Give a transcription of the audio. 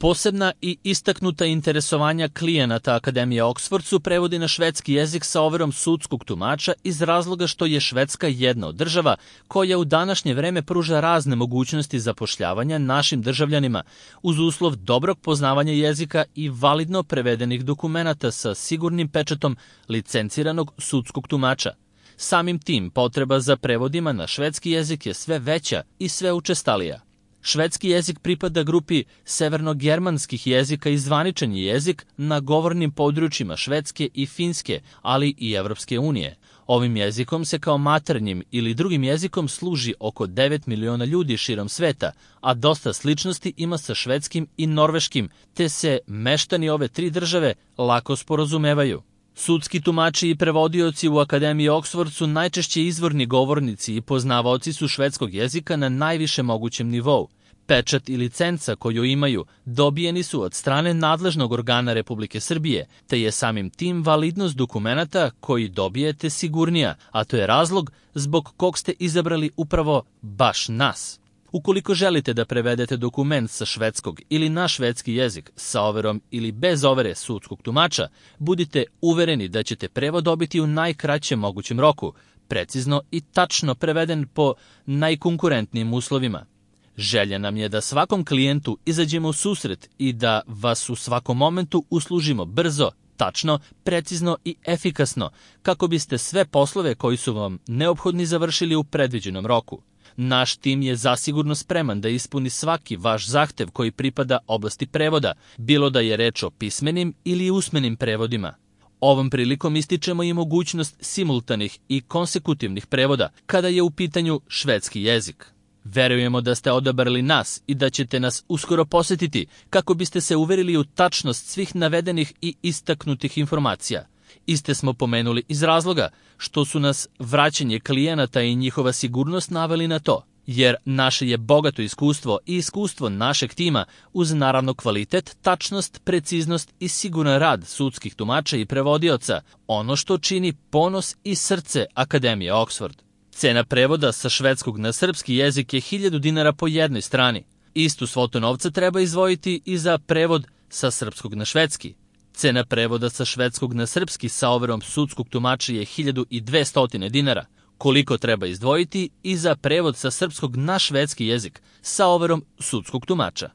Posebna i istaknuta interesovanja klijenata Akademije Oxford su prevodi na švedski jezik sa overom sudskog tumača iz razloga što je Švedska jedna od država koja u današnje vreme pruža razne mogućnosti zapošljavanja našim državljanima uz uslov dobrog poznavanja jezika i validno prevedenih dokumenata sa sigurnim pečatom licenciranog sudskog tumača. Samim tim, potreba za prevodima na švedski jezik je sve veća i sve učestalija. Švedski jezik pripada grupi severnogermanskih jezika i zvaničan je jezik na govornim područjima Švedske i Finske, ali i Evropske unije. Ovim jezikom se kao maternjim ili drugim jezikom služi oko 9 miliona ljudi širom sveta, a dosta sličnosti ima sa švedskim i norveškim, te se meštani ove tri države lako sporazumevaju. Sudski tumači i prevodioci u Akademiji Oxford su najčešće izvorni govornici i poznavaoci su švedskog jezika na najviše mogućem nivou. Pečat i licenca koju imaju dobijeni su od strane nadležnog organa Republike Srbije, te je samim tim validnost dokumenata koji dobijete sigurnija, a to je razlog zbog kog ste izabrali upravo baš nas. Ukoliko želite da prevedete dokument sa švedskog ili na švedski jezik sa overom ili bez overe sudskog tumača, budite uvereni da ćete prevod dobiti u najkraćem mogućem roku, precizno i tačno preveden po najkonkurentnijim uslovima. Želja nam je da svakom klijentu izađemo u susret i da vas u svakom momentu uslužimo brzo, tačno, precizno i efikasno, kako biste sve poslove koji su vam neophodni završili u predviđenom roku. Naš tim je zasigurno spreman da ispuni svaki vaš zahtev koji pripada oblasti prevoda, bilo da je reč o pismenim ili usmenim prevodima. Ovom prilikom ističemo i mogućnost simultanih i konsekutivnih prevoda kada je u pitanju švedski jezik. Verujemo da ste odabrali nas i da ćete nas uskoro posetiti kako biste se uverili u tačnost svih navedenih i istaknutih informacija. Iste smo pomenuli iz razloga što su nas vraćanje klijenata i njihova sigurnost naveli na to, jer naše je bogato iskustvo i iskustvo našeg tima uz naravno kvalitet, tačnost, preciznost i siguran rad sudskih tumača i prevodioca, ono što čini ponos i srce Akademije Oxford. Cena prevoda sa švedskog na srpski jezik je 1000 dinara po jednoj strani. Istu svotu novca treba izdvojiti i za prevod sa srpskog na švedski. Cena prevoda sa švedskog na srpski sa overom sudskog tumača je 1200 dinara. Koliko treba izdvojiti i za prevod sa srpskog na švedski jezik sa overom sudskog tumača?